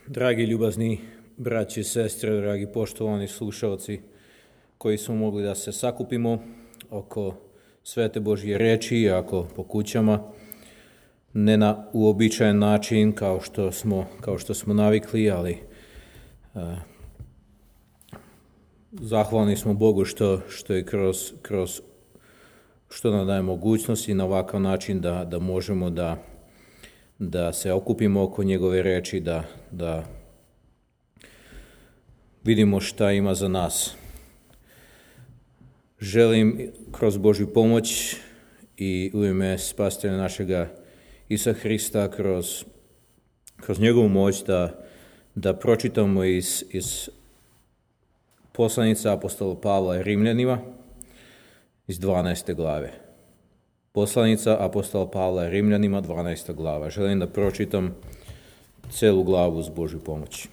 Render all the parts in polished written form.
Dragi ljubazni braći i sestre, dragi poštovani slušalci koji smo mogli da se sakupimo oko svete Božje reči, iako po kućama, ne na uobičajen način kao što smo navikli, ali zahvalni smo Bogu što je kroz što nam daje mogućnost i na ovakav način da možemo da se okupimo oko njegove reči, da vidimo šta ima za nas. Želim kroz Božju pomoć i u ime Spasitelja našega Isusa Hrista kroz njegovu moć da pročitamo iz poslanice apostola Pavla Rimljanima iz 12. glave. Poslanica apostola Pavla Rimljanima, 12. glava. Želim da pročitam celu glavu uz Božju pomoć.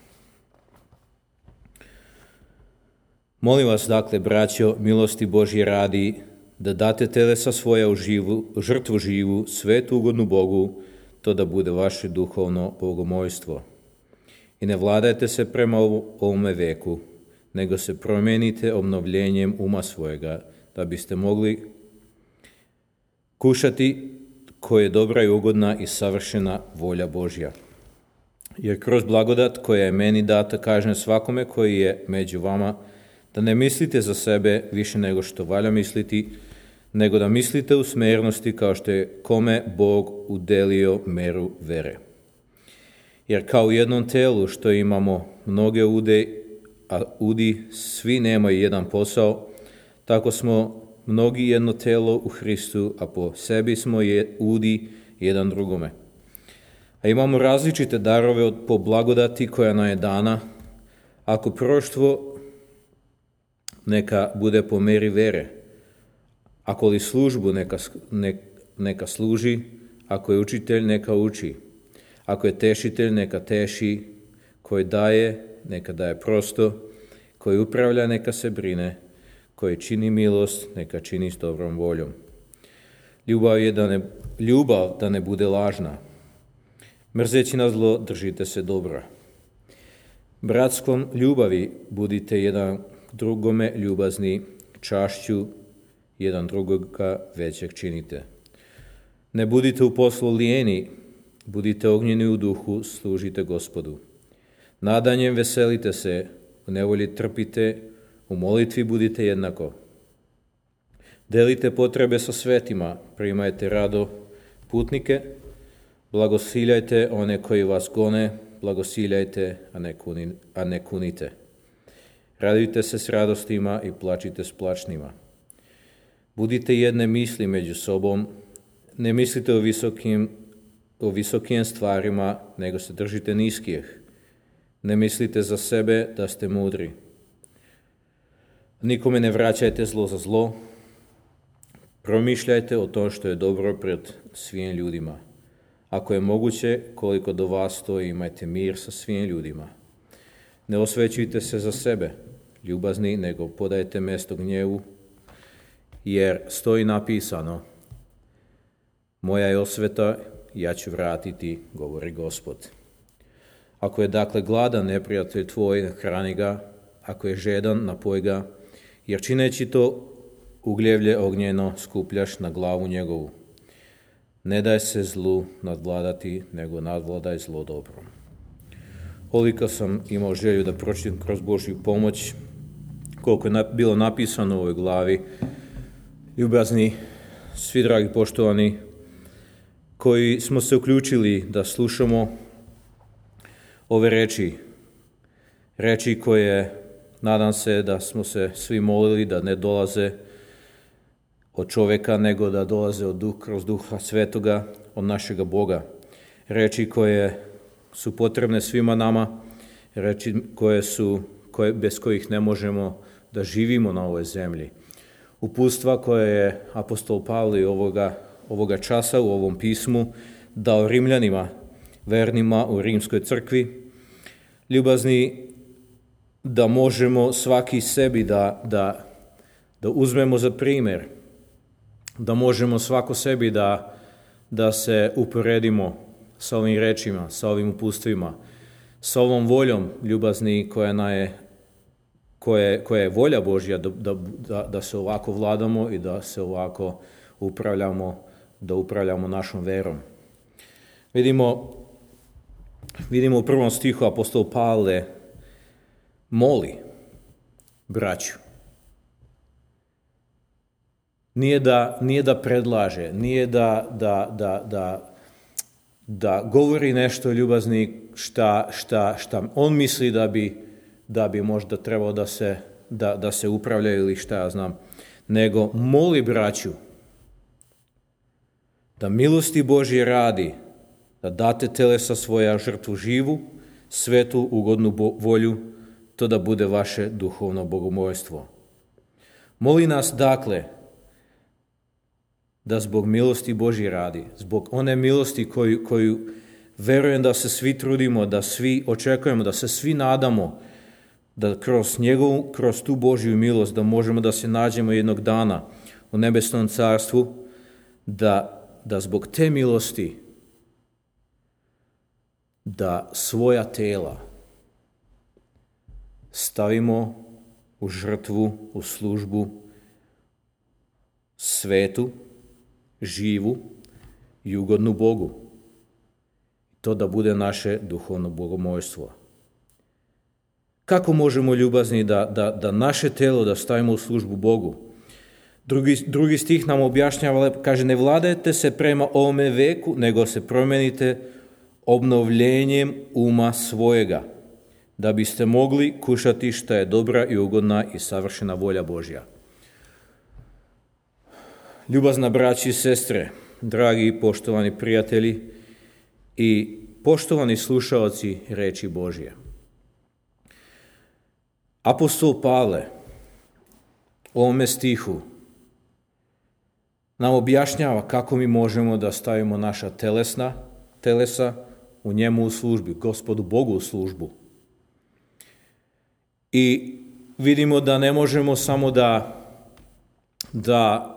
Molim vas, dakle, braćo, milosti Božje radi, da date telesa svoja u žrtvu živu, svetu ugodnu Bogu, to da bude vaše duhovno bogomojstvo. I ne vladajte se prema ovome veku, nego se promijenite obnovljenjem uma svojega, da biste mogli kušati koja je dobra i ugodna i savršena volja Božja. Jer kroz blagodat koja je meni data kažem svakome koji je među vama, da ne mislite za sebe više nego što valja misliti, nego da mislite u smernosti kao što je kome Bog udelio meru vere. Jer kao u jednom telu što imamo mnoge ude, a udi svi nemaju jedan posao, tako smo mnogi jedno telo u Hristu, a po sebi smo udi jedan drugome. A imamo različite darove po blagodati koja nam je dana. Ako proroštvo, neka bude po meri vere. Ako li službu, neka služi. Ako je učitelj, neka uči. Ako je tešitelj, neka teši. Koji daje, neka daje prosto. Koji upravlja, neka se brine. Koji čini milost, neka čini s dobrom voljom. Ljubav da ne bude lažna. Mrzeći na zlo, držite se dobra. Bratskom ljubavi budite jedan drugome ljubazni, čašću jedan drugoga većeg činite. Ne budite u poslu lijeni, budite ognjeni u duhu, služite Gospodu. Nadanjem veselite se, u nevolji trpite, u molitvi budite jednako. Delite potrebe sa svetima, primajte rado putnike, blagosiljajte one koji vas gone, blagosiljajte, a ne kunite. Radujte se s radostima i plačite s plačnima. Budite jedne misli među sobom, ne mislite o visokim stvarima, nego se držite niskih. Ne mislite za sebe da ste mudri. Nikome ne vraćajte zlo za zlo. Promišljajte o tom što je dobro pred svim ljudima. Ako je moguće, koliko do vas stoji, imajte mir sa svim ljudima. Ne osvećujte se za sebe, ljubazni, nego podajte mjesto gnjevu, jer stoji napisano: moja je osveta, ja ću vratiti, govori Gospod. Ako je dakle gladan neprijatelj tvoj, hrani ga, ako je žedan, napoj ga, jer čineći to ugljevlje ognjeno skupljaš na glavu njegovu. Ne daj se zlu nadvladati, nego nadvladaj zlo dobrom. Koliko sam imao želju da pročitam kroz Božju pomoć, koliko je bilo napisano u ovoj glavi, ljubazni, svi dragi poštovani, koji smo se uključili da slušamo ove reči koje nadam se da smo se svi molili da ne dolaze od čovjeka, nego da dolaze kroz Duha Svetoga, od našega Boga. Reči koje su potrebne svima nama, reči bez kojih ne možemo da živimo na ovoj zemlji. Uputstva koje je apostol Pavle ovoga časa u ovom pismu dao Rimljanima, vernima u rimskoj crkvi, ljubazni, da možemo svaki sebi da uzmemo za primjer, da možemo svako sebi da se uporedimo sa ovim rečima, sa ovim uputstvima, sa ovom voljom, ljubazni, koja je volja Božja, da se ovako vladamo i da se ovako upravljamo našom verom. Vidimo u prvom stihu apostol Pavle moli braću. Nije da predlaže, nije da govori nešto ljubazni šta on misli da bi možda trebao da se upravlja ili šta ja znam, nego moli braću da milosti Božje radi, da date telesa svoja žrtvu živu, svetu, ugodnu volju, to da bude vaše duhovno bogomolstvo. Moli nas dakle da zbog milosti Božje radi, zbog one milosti koju verujem da se svi trudimo, da svi očekujemo, da se svi nadamo, da kroz tu Božju milost da možemo da se nađemo jednog dana u nebesnom carstvu, da zbog te milosti da svoja tela stavimo u žrtvu, u službu svetu, živu i ugodnu Bogu. To da bude naše duhovno bogomolstvo. Kako možemo ljubazni da naše telo da stavimo u službu Bogu? Drugi stih nam objašnjava, kaže, ne vladajte se prema ovome veku, nego se promenite obnovljenjem uma svojega, da biste mogli kušati šta je dobra i ugodna i savršena volja Božja. Ljubazna braći i sestre, dragi i poštovani prijatelji i poštovani slušaoci reči Božje. Apostol Pavle u ovome stihu nam objašnjava kako mi možemo da stavimo naša telesa u njemu u službi, Gospodu Bogu u službu. I vidimo da ne možemo samo da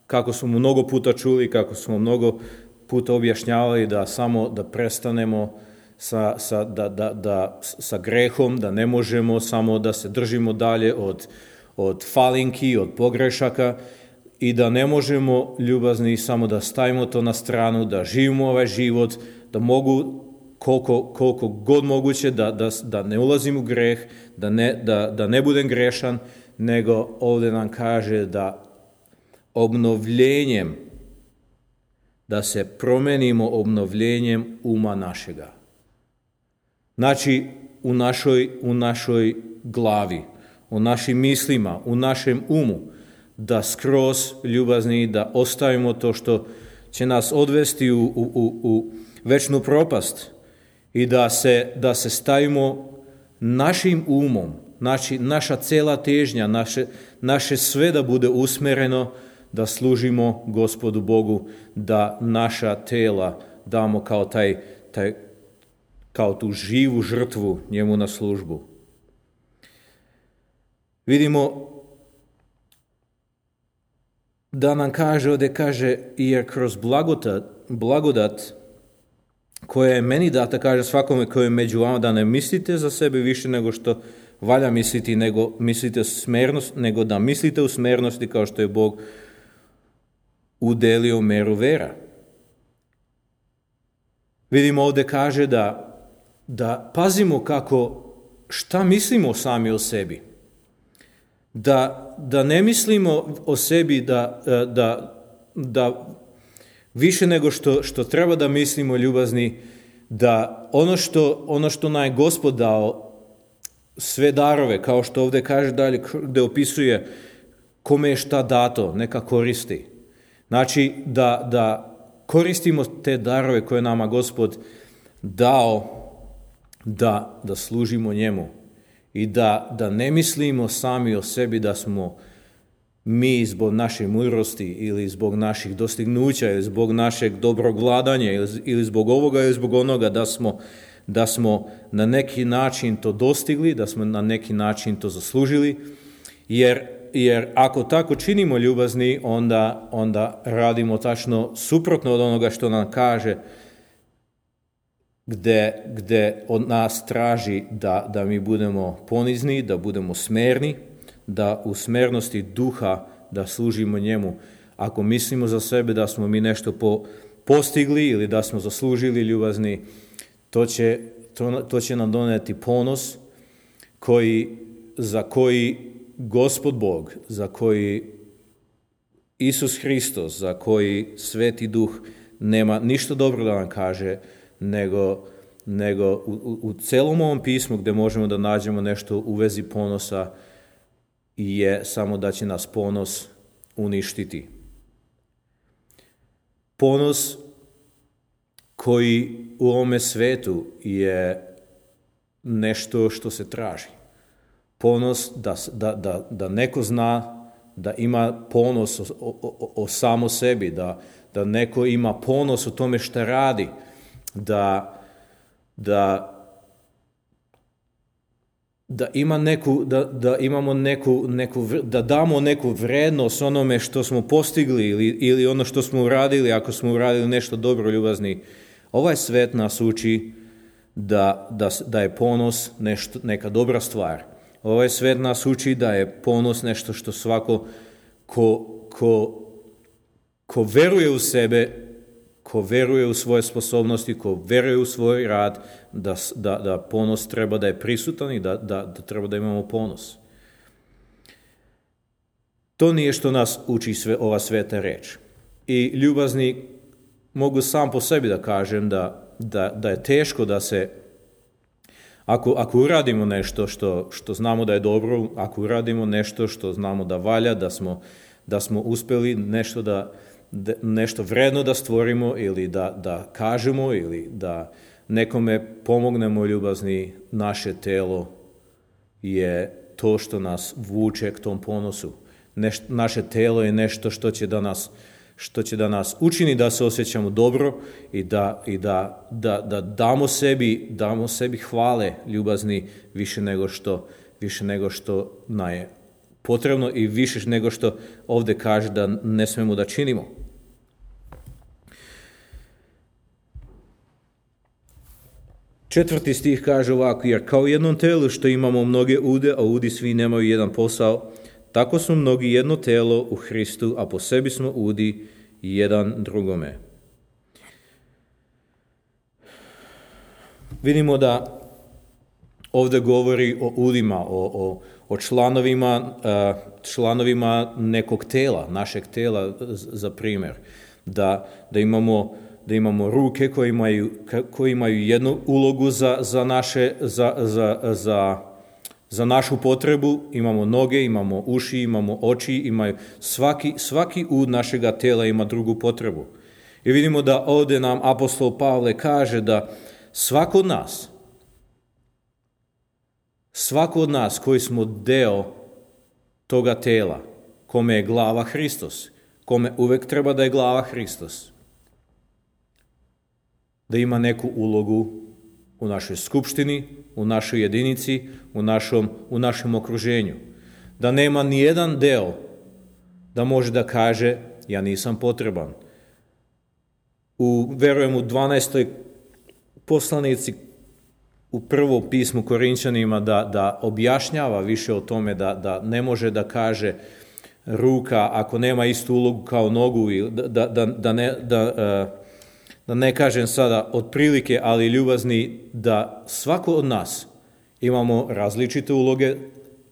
kako smo mnogo puta čuli, kako smo mnogo puta objašnjavali, da samo da prestanemo sa grehom, da ne možemo samo da se držimo dalje od falinki, od pogrešaka i da ne možemo ljubazni samo da stavimo to na stranu, da živimo ovaj život, da mogu koliko god moguće da ne ulazim u greh, da ne budem grešan, nego ovdje nam kaže da obnovljenjem, da se promenimo obnovljenjem uma našega. Znači, u našoj glavi, u našim mislima, u našem umu, da skroz ljubazni, da ostavimo to što će nas odvesti u večnu propast i da se stavimo našim umom, naša cela težnja, naše sve da bude usmereno, da služimo Gospodu Bogu, da naša tela damo kao tu živu žrtvu njemu na službu. Vidimo da nam ovdje kaže, jer kroz blagodat koja je meni data, kaže svakome koji je među vama, da ne mislite za sebe više nego što valja misliti, nego da mislite u smernosti kao što je Bog udelio meru vera. Vidimo ovdje kaže da pazimo šta mislimo sami o sebi. Da ne mislimo o sebi da više nego što treba da mislimo ljubazni, da ono što nam je Gospod dao, sve darove, kao što ovdje kaže dalje, gdje opisuje kome je šta dato, neka koristi. Znači da koristimo te darove koje nama Gospod dao, da služimo njemu i da ne mislimo sami o sebi da smo mi zbog naše mudrosti ili zbog naših dostignuća ili zbog našeg dobrog vladanja ili zbog ovoga ili zbog onoga da smo na neki način to dostigli, da smo na neki način to zaslužili, jer ako tako činimo ljubazni, onda radimo tačno suprotno od onoga što nam kaže gde od nas traži da mi budemo ponizni, da budemo smerni, da u smernosti duha da služimo njemu. Ako mislimo za sebe da smo mi nešto postigli ili da smo zaslužili ljubazni, to će nam doneti ponos za koji Gospod Bog, za koji Isus Hristos, za koji Sveti Duh nema ništa dobro da nam kaže, nego u celom ovom pismu gdje možemo da nađemo nešto u vezi ponosa je samo da će nas ponos uništiti. Ponos koji u ovome svetu je nešto što se traži. Ponos da neko zna da ima ponos o samo sebi, da neko ima ponos o tome šta radi, da damo neku vrednost onome što smo postigli ili ono što smo uradili, ako smo uradili nešto dobro, ljubazni. Ovaj svet nas uči da je ponos neka dobra stvar. Ovaj svet nas uči da je ponos nešto što svako ko veruje u sebe, ko veruje u svoje sposobnosti, ko veruje u svoj rad, da ponos treba da je prisutan i da treba da imamo ponos. To nije što nas uči ova sveta reč. I ljubazni, mogu sam po sebi da kažem da je teško da se, ako uradimo nešto što znamo da je dobro, ako uradimo nešto što znamo da valja, da smo uspeli nešto vredno da stvorimo ili da kažemo ili da nekome pomognemo, ljubazni, naše telo je to što nas vuče k tom ponosu. Naše telo je nešto što će da nas učini da se osjećamo dobro i da damo sebi hvale, ljubazni, više nego što nam je potrebno i više nego što ovdje kaže da ne smemo da činimo. Četvrti stih kaže ovako: jer kao u jednom telu što imamo mnoge ude, a udi svi nemaju jedan posao, tako smo mnogi jedno telo u Hristu, a po sebi smo udi jedan drugome. Vidimo da ovdje govori o udima, o članovima nekog tela, našeg tela, za primjer. Da imamo ruke koje imaju jednu ulogu za našu potrebu, imamo noge, imamo uši, imamo oči, svaki ud našega tela ima drugu potrebu. I vidimo da ovdje nam apostol Pavle kaže da svako od nas koji smo deo toga tela, kome je glava Hristos, kome uvek treba da je glava Hristos, da ima neku ulogu u našoj skupštini, u našoj jedinici, u našem okruženju. Da nema ni jedan deo da može da kaže ja nisam potreban. Verujem u 12. poslanici u prvom pismu Korinćanima da objašnjava više o tome da ne može da kaže ruka ako nema istu ulogu kao nogu, da ne kažem sada otprilike, ali ljubazni, da svako od nas imamo različite uloge,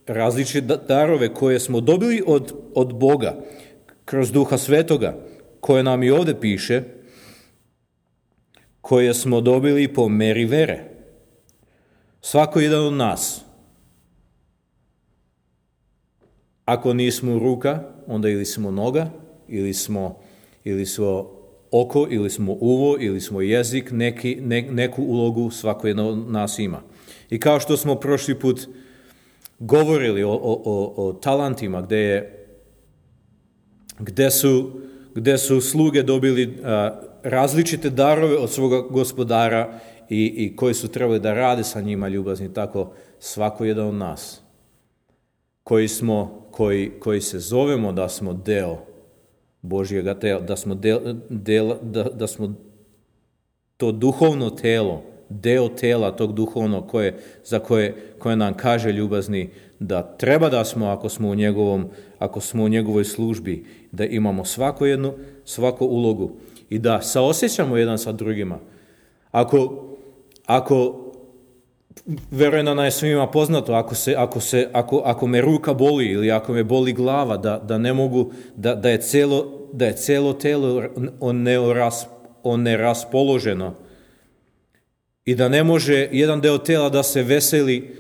različite darove koje smo dobili od Boga kroz Duha Svetoga, koje nam i ovdje piše, koje smo dobili po meri vere. Svako jedan od nas, ako nismo ruka, onda ili smo noga, ili smo oko, ili smo uvo, ili smo jezik, neku ulogu svako jedno od nas ima. I kao što smo prošli put govorili o talentima, gde su sluge dobili različite darove od svoga gospodara i koji su trebali da rade sa njima, ljubazni, tako svako jedan od nas koji se zovemo da smo deo Božjega tela, da smo to duhovno telo deo tela tog duhovnog koje nam kaže ljubazni da treba da smo, ako smo u njegovoj službi, da imamo svaku ulogu i da saosjećamo jedan sa drugima. Ako verujem da nam je svima poznato, ako me ruka boli ili ako me boli glava, da ne mogu, da je cijelo telo neraspoloženo i da ne može jedan deo tela da se veseli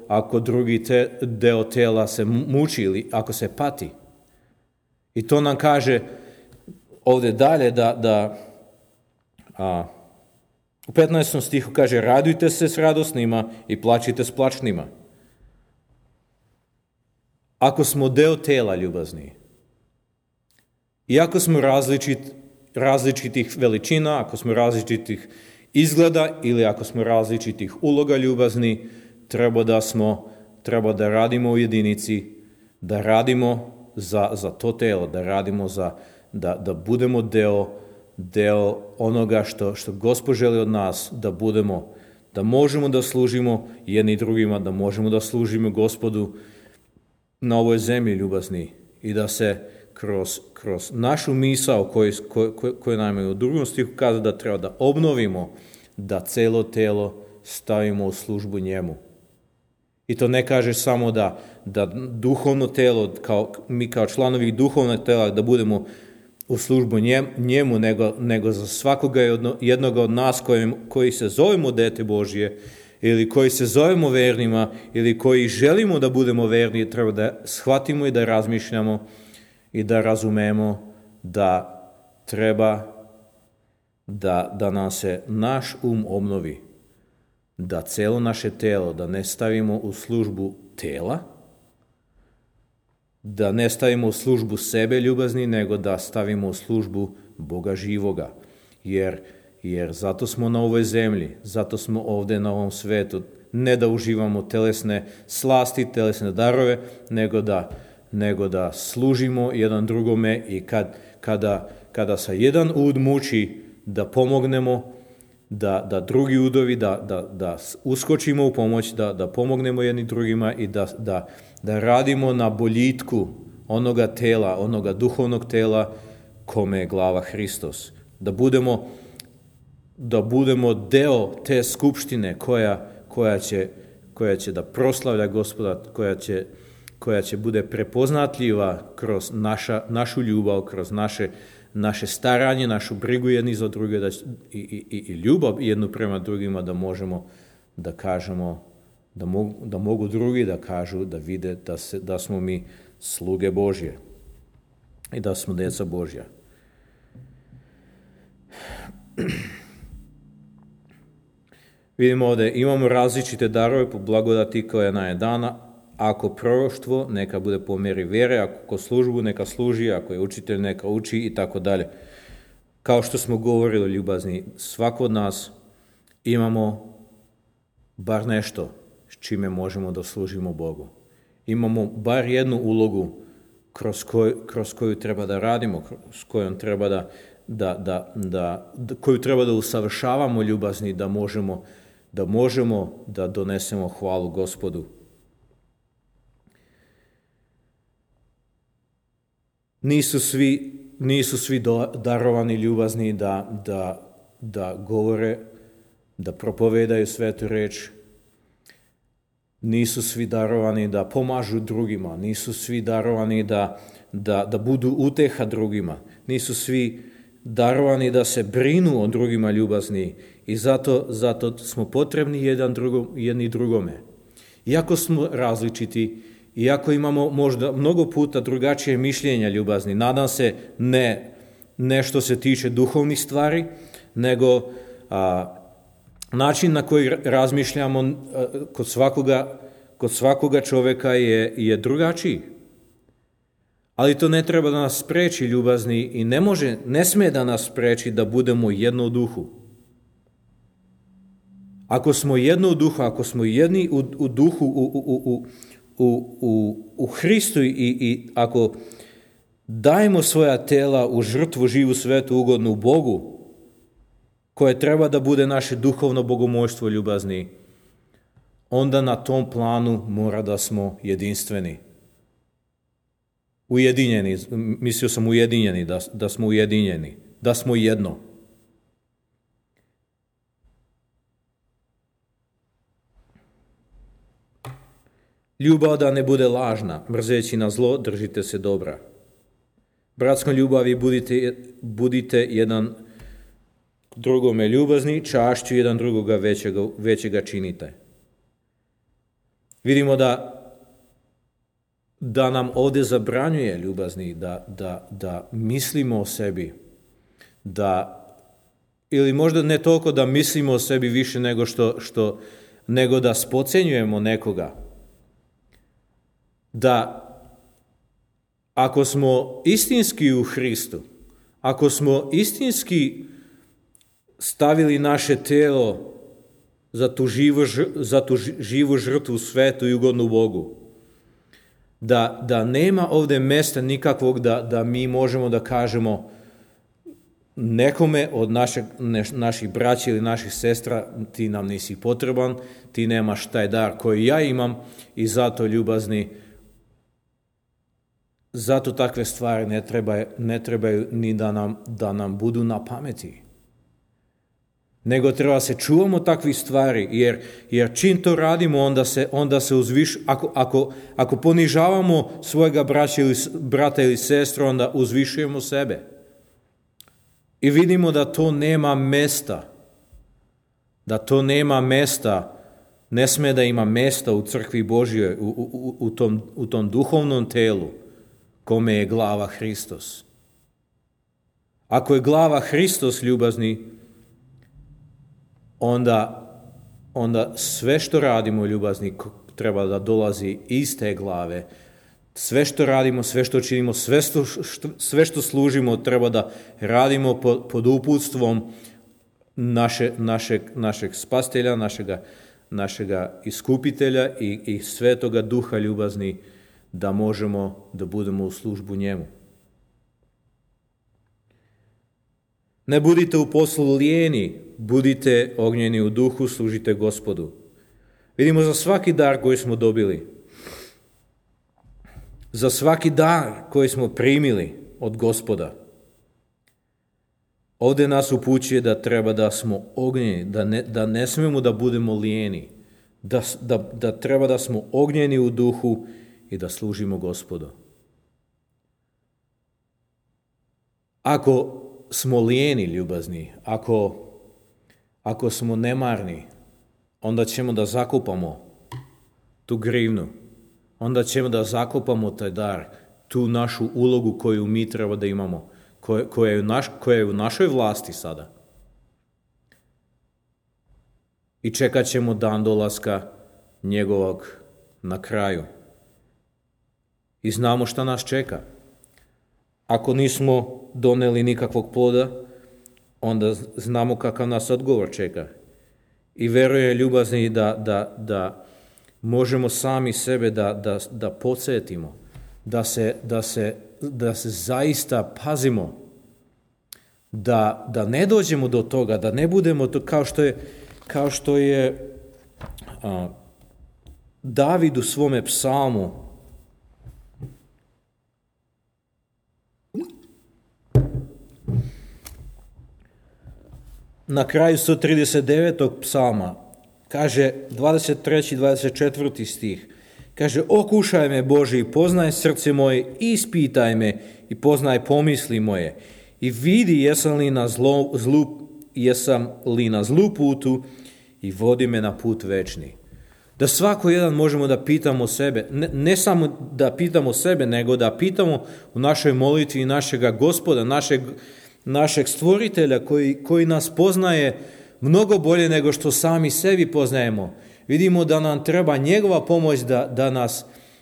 ako drugi deo tela se muči ili ako se pati. I to nam kaže ovdje dalje u 15. stihu kaže: radujte se s radosnima i plačite s plačnima. Ako smo deo tela, ljubazni, i ako smo različitih veličina, ako smo različitih izgleda ili ako smo različitih uloga, ljubazni, treba da radimo u jedinici, da radimo za to telo, da radimo da budemo deo onoga što Gospod želi od nas, da budemo, da možemo da služimo jedni drugima, da možemo da služimo Gospodu na ovoj zemlji, ljubazni, i da se kroz našu misao koju nam je u drugom stihu kaže da treba da obnovimo, da celo telo stavimo u službu njemu. I to ne kaže samo da duhovno telo, mi kao članovi duhovnog tela, da budemo u službu njemu, nego za svakoga jednoga od nas koji se zovemo dete Božje ili koji se zovemo vernima ili koji želimo da budemo verni, treba da shvatimo i da razmišljamo i da razumemo da treba da nam se naš obnovi, da celo naše telo, da ne stavimo u službu tela, da ne stavimo u službu sebe, ljubazni, nego da stavimo u službu Boga živoga. Jer zato smo na ovoj zemlji, zato smo ovdje na ovom svetu, ne da uživamo telesne slasti, telesne darove, nego da služimo jedan drugome i kada se jedan ud muči, da pomognemo, da drugi udovi, da uskočimo u pomoć, da pomognemo jedni drugima i da radimo na boljitku onoga tela, onoga duhovnog tela kome je glava Hristos. Da budemo deo te skupštine koja će da proslavlja Gospoda, koja će bude prepoznatljiva kroz našu ljubav, kroz naše staranje, našu brigu jedni za druge i ljubav jednu prema drugima, da možemo da kažemo, da mogu drugi da kažu, da vide da smo mi sluge Božje i da smo djeca Božja. Vidimo ovdje, imamo različite darove po blagodati koja nam je dana. Ako proroštvo, neka bude po mjeri vjere, ako službu, neka služi, ako je učitelj, neka uči i tako dalje. Kao što smo govorili, ljubazni, svako od nas imamo bar nešto s čime možemo da služimo Bogu. Imamo bar jednu ulogu kroz koju treba da radimo, s kojom treba koju treba da usavršavamo, ljubazni, da možemo da donesemo hvalu Gospodu. Nisu svi darovani, ljubazni, da govore, da propovedaju svetu reč. Nisu svi darovani da pomažu drugima. Nisu svi darovani da budu uteha drugima. Nisu svi darovani da se brinu o drugima, ljubazni. I zato smo potrebni jedni drugome. Iako smo različiti, iako imamo možda mnogo puta drugačije mišljenja, ljubazni, nadam se ne što se tiče duhovnih stvari, nego način na koji razmišljamo kod svakoga čovjeka je drugačiji. Ali to ne treba da nas spreči, ljubazni, i ne smije da nas spreči da budemo jedno u duhu. Ako smo jedno u duhu, ako smo jedni u duhu, u Hristu i ako dajemo svoja tela u žrtvu živu, svetu, ugodnu Bogu, koje treba da bude naše duhovno bogomojstvo, ljubazni, onda na tom planu mora da smo jedinstveni. Ujedinjeni, mislio sam ujedinjeni, da smo ujedinjeni, da smo jedno. Ljubav da ne bude lažna, mrzeći na zlo, držite se dobra. Bratskom ljubavi budite jedan drugome ljubazni, čašću jedan drugoga većega činite. Vidimo da nam ovdje zabranjuje, ljubazni, da mislimo o sebi, ili možda ne toliko da mislimo o sebi više nego da spocenjujemo nekoga. Da ako smo istinski u Hristu, ako smo istinski stavili naše telo za tu živu žrtvu, svetu i ugodnu Bogu, da nema ovdje mjesta nikakvog da mi možemo da kažemo nekome od naših braća ili naših sestra, ti nam nisi potreban, ti nemaš taj dar koji ja imam i zato, ljubazni, zato takve stvari ne trebaju ni da nam budu na pameti. Nego treba se čuvamo takvih stvari, jer čim to radimo, onda se ako ponižavamo svojega brata ili sestru, onda uzvišujemo sebe. I vidimo da to nema mjesta. Da to nema mjesta, ne sme da ima mjesta u crkvi Božjoj, u tom duhovnom telu, kome je glava Hristos. Ako je glava Hristos, ljubazni, onda sve što radimo, ljubazni, treba da dolazi iz te glave. Sve što radimo, sve što činimo, sve što služimo, treba da radimo pod uputstvom našeg spastelja, našega iskupitelja i Svetoga Duha, ljubazni, da možemo da budemo u službu njemu. Ne budite u poslu lijeni, budite ognjeni u duhu, služite Gospodu. Vidimo za svaki dar koji smo dobili, za svaki dar koji smo primili od Gospoda, ovdje nas upućuje da treba da smo ognjeni, da ne smijemo da budemo lijeni, da treba da smo ognjeni u duhu i da služimo Gospodu. Ako smo lijeni, ljubazni, ako smo nemarni, onda ćemo da zakopamo tu grivnu, onda ćemo da zakopamo taj dar, tu našu ulogu koju mi treba da imamo, koja je u našoj vlasti sada. I čekat ćemo dan dolaska njegovog na kraju. I znamo šta nas čeka. Ako nismo doneli nikakvog ploda, onda znamo kakav nas odgovor čeka. I veruje, ljubazni, da možemo sami sebe da podsjetimo, da se zaista pazimo, da ne dođemo do toga, da ne budemo to kao što je David u svome psalmu na kraju 139. psalma, kaže 23. i 24. stih, kaže: okušaj me, Bože, i poznaj srce moje, ispitaj me i poznaj pomisli moje i vidi jesam li na zlu putu i vodi me na put večni. Da svako jedan možemo da pitamo sebe, ne samo da pitamo sebe, nego da pitamo u našoj molitvi našega Gospoda, našeg stvoritelja koji nas poznaje mnogo bolje nego što sami sebi poznajemo. Vidimo da nam treba njegova pomoć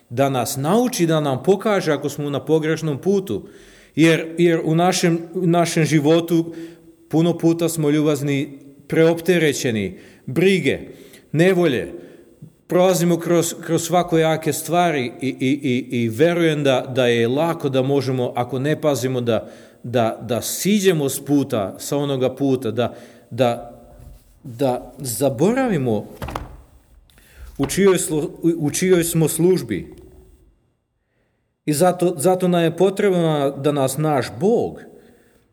da nas nauči, da nam pokaže ako smo na pogrešnom putu. Jer u našem životu puno puta smo, ljubazni, preopterećeni, brige, nevolje, prolazimo kroz svakojake stvari i verujem da je lako da možemo, ako ne pazimo, da siđemo s puta, sa onoga puta, da zaboravimo u čijoj smo službi. I zato nam je potrebno da nas naš Bog,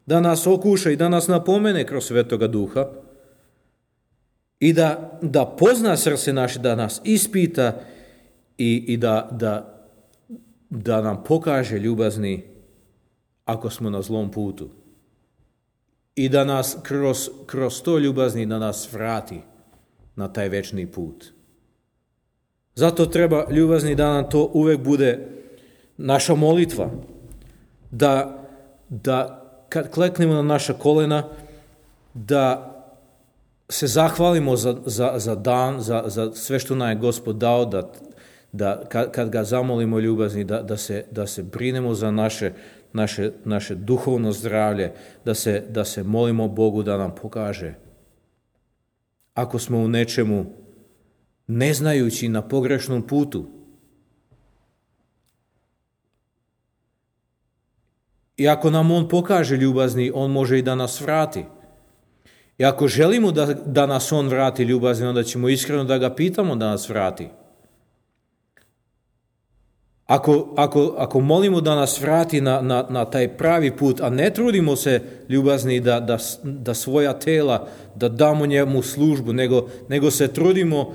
da nas okuša i da nas napomene kroz Svetoga Duha i da pozna srce naše, da nas ispita i da nam pokaže ljubazni ako smo na zlom putu. I da nas kroz to ljubazni da nas vrati na taj večni put. Zato treba ljubazni da nam to uvek bude naša molitva. Da kad kleknemo na naša kolena, da se zahvalimo za dan, za sve što nam je Gospod dao, da kad ga zamolimo ljubazni, da se brinemo za naše duhovno zdravlje, da se molimo Bogu da nam pokaže. Ako smo u nečemu ne znajući na pogrešnom putu. I ako nam on pokaže ljubazni, on može i da nas vrati. I ako želimo da nas on vrati ljubazni, onda ćemo iskreno da ga pitamo da nas vrati. Ako molimo da nas vrati na taj pravi put, a ne trudimo se ljubazni da svoja tela, da damo njemu službu, nego se trudimo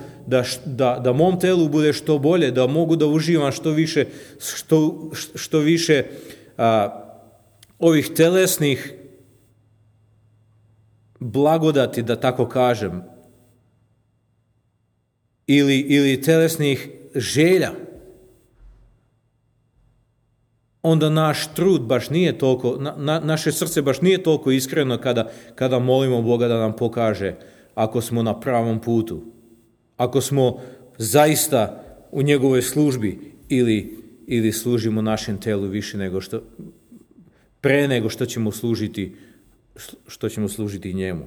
da mom telu bude što bolje, da mogu da uživam što više ovih telesnih blagodati, da tako kažem, ili telesnih želja, onda naš trud baš nije toliko, naše srce baš nije toliko iskreno kada molimo Boga da nam pokaže ako smo na pravom putu, ako smo zaista u njegovoj službi ili služimo našem telu više pre nego što ćemo služiti njemu.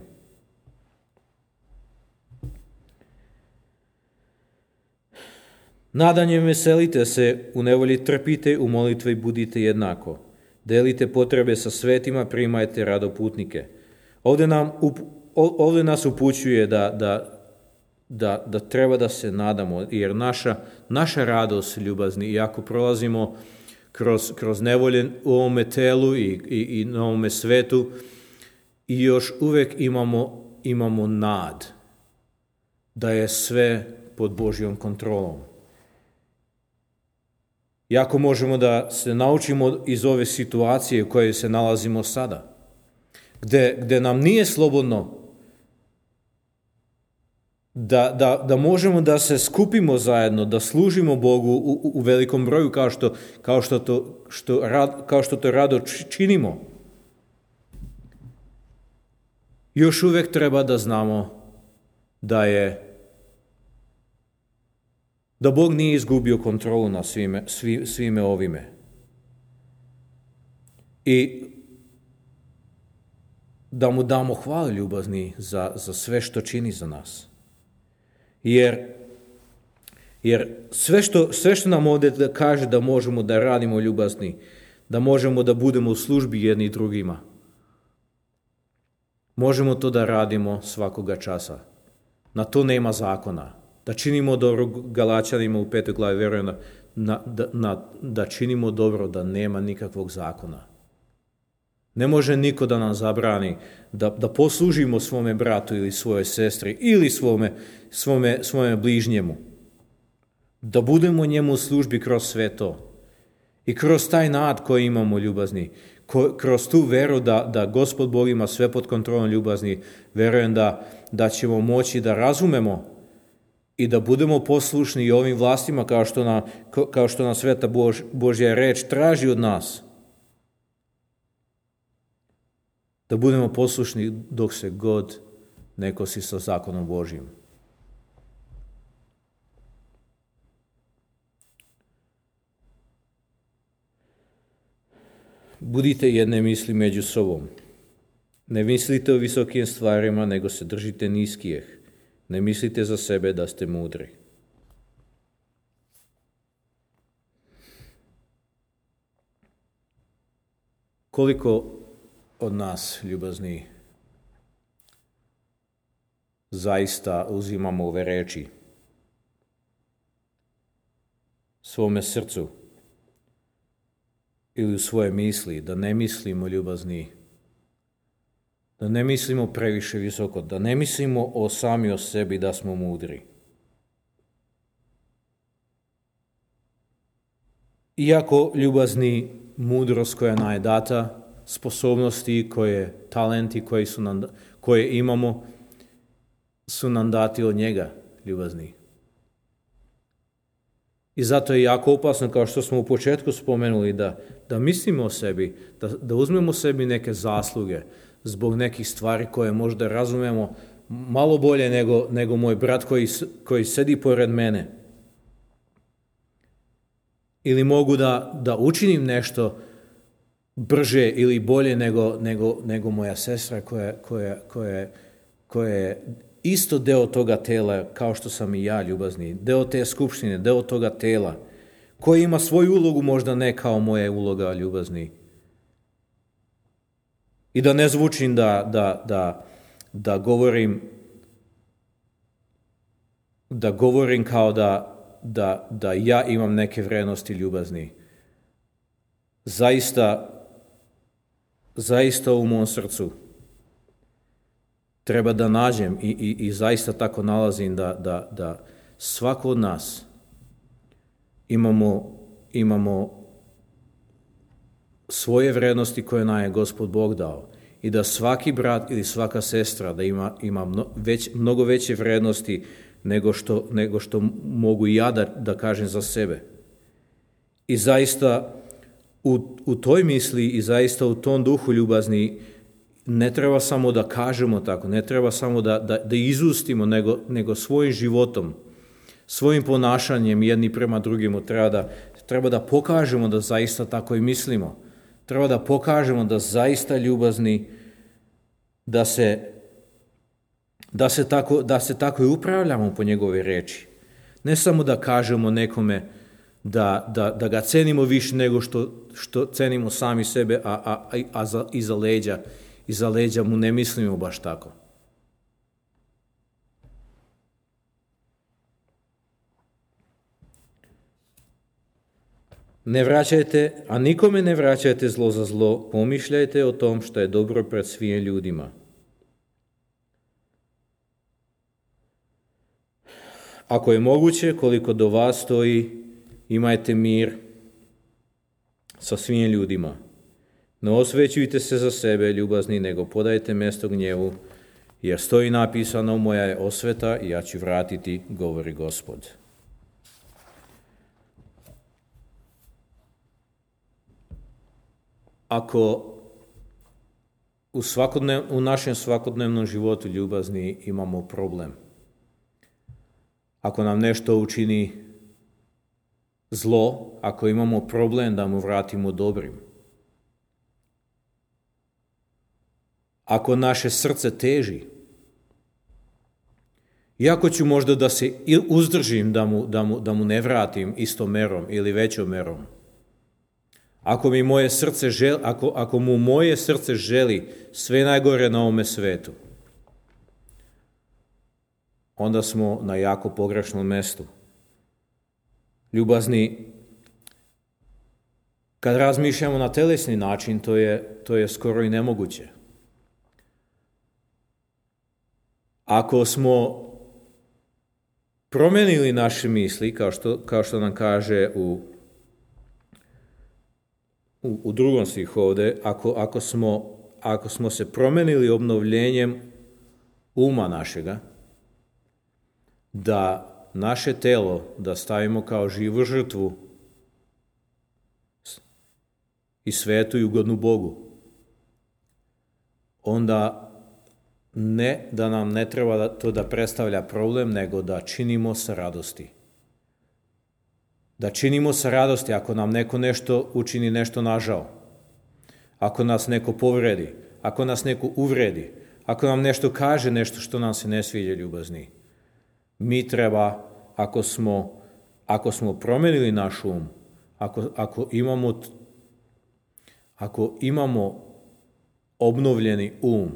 Nadanjem veselite se, u nevolji trpite, u molitvi budite jednako. Delite potrebe sa svetima, primajte radoputnike. Ovdje nas upućuje da treba da se nadamo, jer naša radost ljubazni, i ako prolazimo kroz nevolje u ovome telu i na ovome svetu, i još uvek imamo nad da je sve pod Božjom kontrolom. Jako možemo da se naučimo iz ove situacije u kojoj se nalazimo sada, gde nam nije slobodno da možemo da se skupimo zajedno, da služimo Bogu u velikom broju kao što to rado činimo. Još uvek treba da znamo da Bog nije izgubio kontrolu na svime ovime. I da mu damo hvalu ljubazni za sve što čini za nas. Jer sve što nam ovdje kaže da možemo da radimo ljubazni, da možemo da budemo u službi jedni drugima, možemo to da radimo svakoga časa. Na to nema zakona. Da činimo dobro, Galačanima u 5. glavi vjerujem da činimo dobro, da nema nikakvog zakona. Ne može niko da nam zabrani da poslužimo svome bratu ili svojoj sestri ili svome bližnjemu. Da budemo njemu u službi kroz sve to. I kroz taj nad koji imamo ljubazni, kroz tu veru da Gospod Bog ima sve pod kontrolom ljubazni, verujem da ćemo moći da razumemo i da budemo poslušni i ovim vlastima kao što nam sveta Božja reč traži od nas. Da budemo poslušni dok se god ne kosi sa zakonom Božjim. Budite jedne misli među sobom. Ne mislite o visokim stvarima, nego se držite niskijih. Ne mislite za sebe da ste mudri. Koliko od nas, ljubazni, zaista uzimamo ove reči svome srcu ili u svoje misli, da ne mislimo ljubazni, da ne mislimo previše visoko, da ne mislimo sami o sebi da smo mudri. Iako ljubazni, mudrost koja nam je data, sposobnosti, talenti koje imamo, su nam dati od njega, ljubazni. I zato je jako opasno, kao što smo u početku spomenuli, da mislimo o sebi, da uzmemo sebi neke zasluge zbog nekih stvari koje možda razumemo malo bolje nego moj brat koji sedi pored mene. Ili mogu da učinim nešto brže ili bolje nego moja sestra koja je isto deo toga tela kao što sam i ja, ljubazni, deo te skupštine, deo toga tela, koji ima svoju ulogu, možda ne kao moja uloga, ljubazni. I da ne zvučim da govorim kao da ja imam neke vrednosti, ljubazni. Zaista u mom srcu treba da nađem i zaista tako nalazim da svako od nas imamo svoje vrednosti koje nam je Gospod Bog dao i da svaki brat ili svaka sestra da ima mnogo veće vrednosti nego što mogu i ja da kažem za sebe. I zaista u toj misli i zaista u tom duhu, ljubazni, ne treba samo da kažemo tako, ne treba samo da izustimo, nego svojim životom, svojim ponašanjem jedni prema drugima treba da pokažemo da zaista tako i mislimo. Treba da pokažemo da zaista ljubazni, da se tako i upravljamo po njegove reči. Ne samo da kažemo nekome da ga cenimo više nego što cenimo sami sebe, a iza leđa mu ne mislimo baš tako. Ne vraćajte, a nikome ne vraćajte zlo za zlo, pomišljajte o tom što je dobro pred svim ljudima. Ako je moguće, koliko do vas stoji, imajte mir sa svim ljudima. Ne osvećujte se za sebe, ljubazni, nego podajte mjesto gnjevu, jer stoji napisano: moja je osveta i ja ću vratiti, govori Gospod. Ako u našem svakodnevnom životu, ljubazni, imamo problem, ako nam nešto učini zlo, ako imamo problem da mu vratimo dobrim, ako naše srce teži, iako ću možda da se uzdržim da mu ne vratim istom merom ili većom merom, ako mu moje srce želi sve najgore na ovome svetu, onda smo na jako pogrešnom mjestu. Ljubazni, kad razmišljamo na telesni način, to je skoro i nemoguće. Ako smo promenili naše misli, kao što nam kaže u drugom stihu ovdje, ako smo se promenili obnovljenjem uma našega, da naše telo da stavimo kao živu žrtvu i svetu i ugodnu Bogu, onda ne da nam ne treba to da predstavlja problem, nego da činimo sa radosti. Da činimo sa radosti ako nam neko nešto učini, nešto nažao, ako nas neko povredi, ako nas neko uvredi, ako nam nešto kaže, nešto što nam se ne sviđa, ljubazni. Mi treba, ako smo promenili naš um, ako imamo obnovljeni um,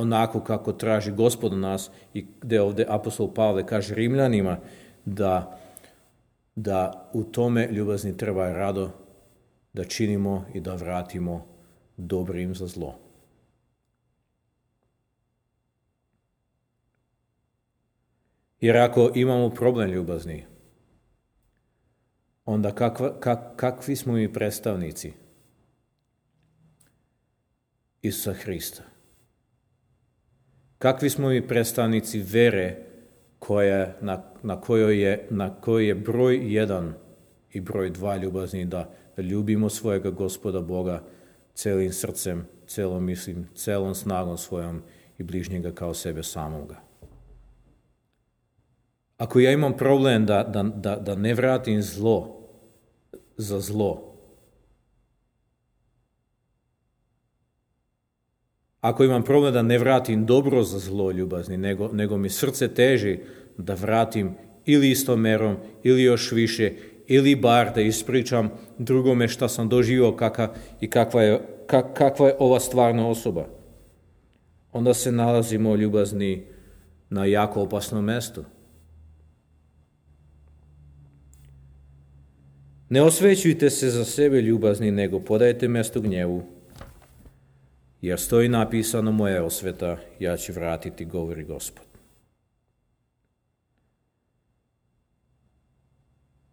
onako kako traži Gospod od nas i gdje ovdje apostol Pavle kaže Rimljanima da u tome ljubazni treba rado da činimo i da vratimo dobrim za zlo. Jer ako imamo problem ljubazni, onda kakvi smo mi predstavnici Isusa Hrista? Kakvi smo mi predstavnici vere na kojoj je broj 1 i broj 2 ljubazni, da ljubimo svojega Gospoda Boga celim srcem, celom mislim, celom snagom svojom i bližnjega kao sebe samoga. Ako ja imam problem da ne vratim zlo za zlo, ako imam problem da ne vratim dobro za zlo ljubazni, nego mi srce teži da vratim ili istom merom, ili još više, ili bar da ispričam drugome šta sam doživio i kakva je ova stvarna osoba, onda se nalazimo ljubazni na jako opasnom mjestu. Ne osvećujte se za sebe ljubazni, nego podajte mjesto gnjevu, jer stoji napisano moja osveta, ja ću vratiti, govori Gospod.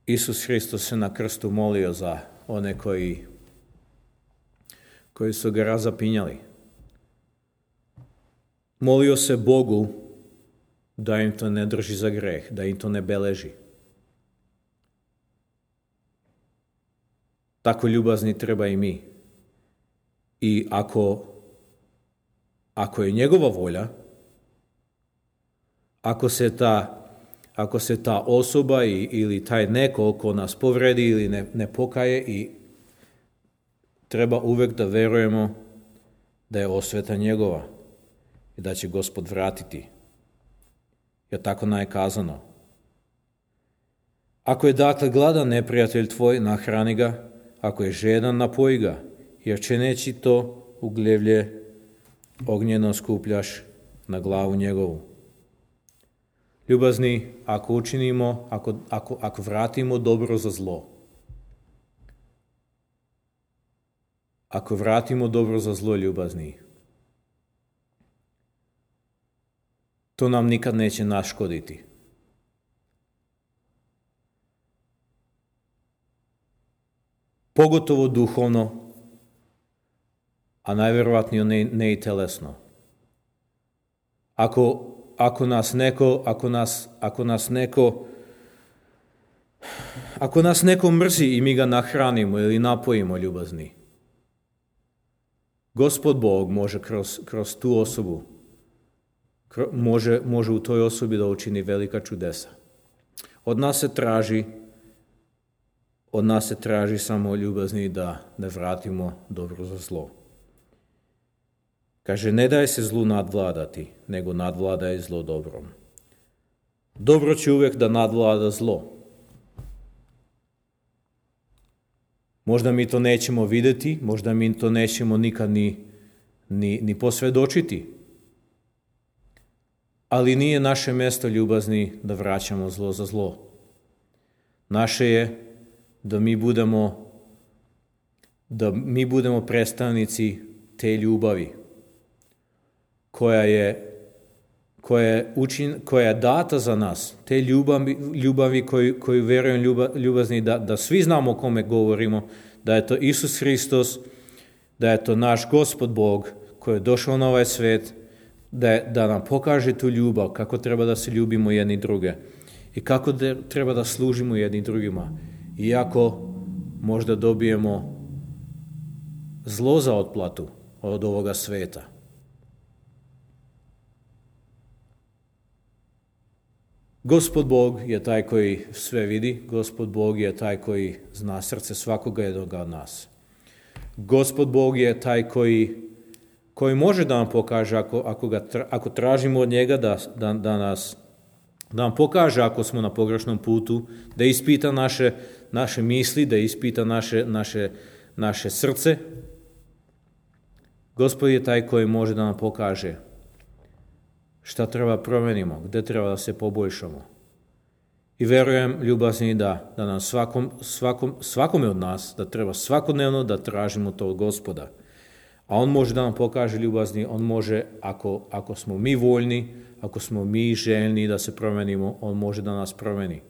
Isus Hristos se na krstu molio za one koji su ga razapinjali. Molio se Bogu da im to ne drži za greh, da im to ne beleži. Tako ljubazni treba i mi. I ako je njegova volja, ako se ta osoba ili taj neko ko nas povredi ili ne pokaje, i treba uvijek da verujemo da je osveta njegova i da će Gospod vratiti. Jer tako nam je kazano. Ako je dakle gladan neprijatelj tvoj, nahrani ga, ako je žedan, napoji ga, jer čineći to ugljevlje ognjeno skupljaš na glavu njegovu. Ljubazni, ako učinimo, ako vratimo dobro za zlo, ako vratimo dobro za zlo, ljubazni, to nam nikad neće naškoditi. Pogotovo duhovno, a najvjerojatnije ne i telesno. Ako nas neko mrzi i mi ga nahranimo ili napojimo, ljubazni, Gospod Bog može kroz tu osobu, može u toj osobi da učini velika čudesa. Od nas se traži samo, ljubazni, da vratimo dobro za zlo. Kaže, ne daj se zlu nadvladati, nego nadvladaj zlo dobrom. Dobro će uvijek da nadvlada zlo. Možda mi to nećemo vidjeti, možda mi to nećemo nikad ni posvjedočiti. Ali nije naše mjesto, ljubazni, da vraćamo zlo za zlo. Naše je da mi budemo predstavnici te ljubavi koja je data za nas, te ljubavi koju vjerujem, ljubazni, da svi znamo o kome govorimo, da je to Isus Hristos, da je to naš Gospod Bog koji je došao na ovaj svijet, da nam pokaže tu ljubav, kako treba da se ljubimo jedni druge i kako treba da služimo jedni drugima. Iako možda dobijemo zlo za otplatu od ovoga sveta. Gospod Bog je taj koji sve vidi, Gospod Bog je taj koji zna srce svakoga jednoga od nas. Gospod Bog je taj koji može da nam pokaže, ako tražimo od njega da nam pokaže ako smo na pogrešnom putu, da ispita naše misli, da ispita naše srce. Gospod je taj koji može da nam pokaže šta treba promenimo, gde treba da se poboljšamo. I verujem, ljubazni, da nam svakome od nas, da treba svakodnevno da tražimo to od Gospoda. A on može da nam pokaže, ljubazni, on može, ako smo mi voljni, ako smo mi željni da se promenimo, on može da nas promeni.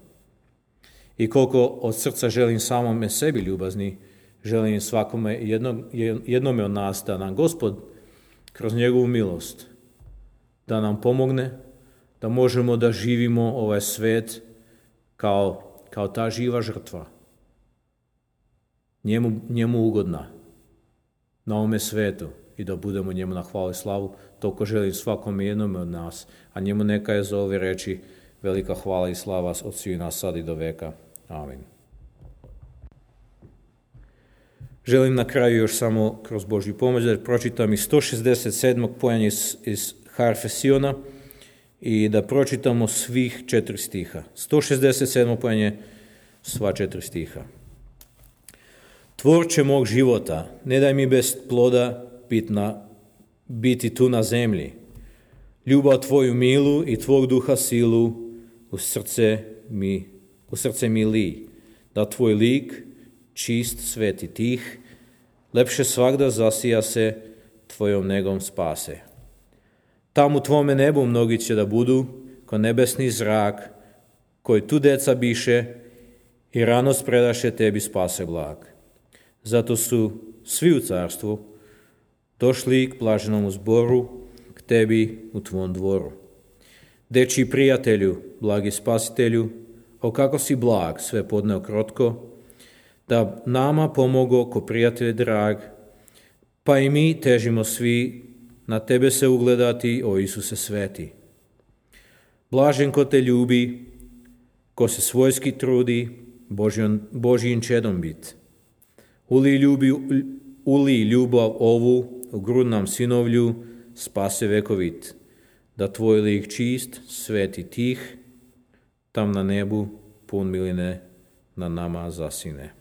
I koliko od srca želim samome sebi, ljubazni, želim svakome jednome od nas da nam Gospod kroz njegovu milost da nam pomogne, da možemo da živimo ovaj svet kao ta živa žrtva, njemu ugodna na ovome svetu i da budemo njemu na hvalu i slavu. Toliko želim svakome jednome od nas, a njemu neka je za ove reči velika hvala i slava od svih nas sad i do veka. Amin. Želim na kraju još samo kroz Božju pomoć da pročitam iz 167. pojanja iz harfe Siona i da pročitamo svih 4 stiha. 167. pojanje, sva 4 stiha. Tvorče mog života, ne daj mi bez ploda biti tu na zemlji. Ljubav tvoju milu i tvog duha silu u srce mi li. Da tvoj lik, čist, svet i tih, lepše svagda zasija se, tvojom negom spase. Tam u tvome nebu mnogi će da budu, ko nebesni zrak, koji tu deca biše i ranost predaše tebi spase blag. Zato su svi u carstvu došli k blaženom zboru, k tebi u tvom dvoru. Dečiji prijatelju, blagi spasitelju, o kako si blag, sve podneo krotko, da nama pomogo ko prijatelj drag, pa i mi težimo svi na tebe se ugledati, o Isuse sveti. Blažen ko te ljubi, ko se svojski trudi, Božjim čedom bit. Uli ljubav ovu, u grudnom sinovlju, spase vekovit, da tvoj lik čist, svet i tih, tam na nebu pun miline na nama zasine.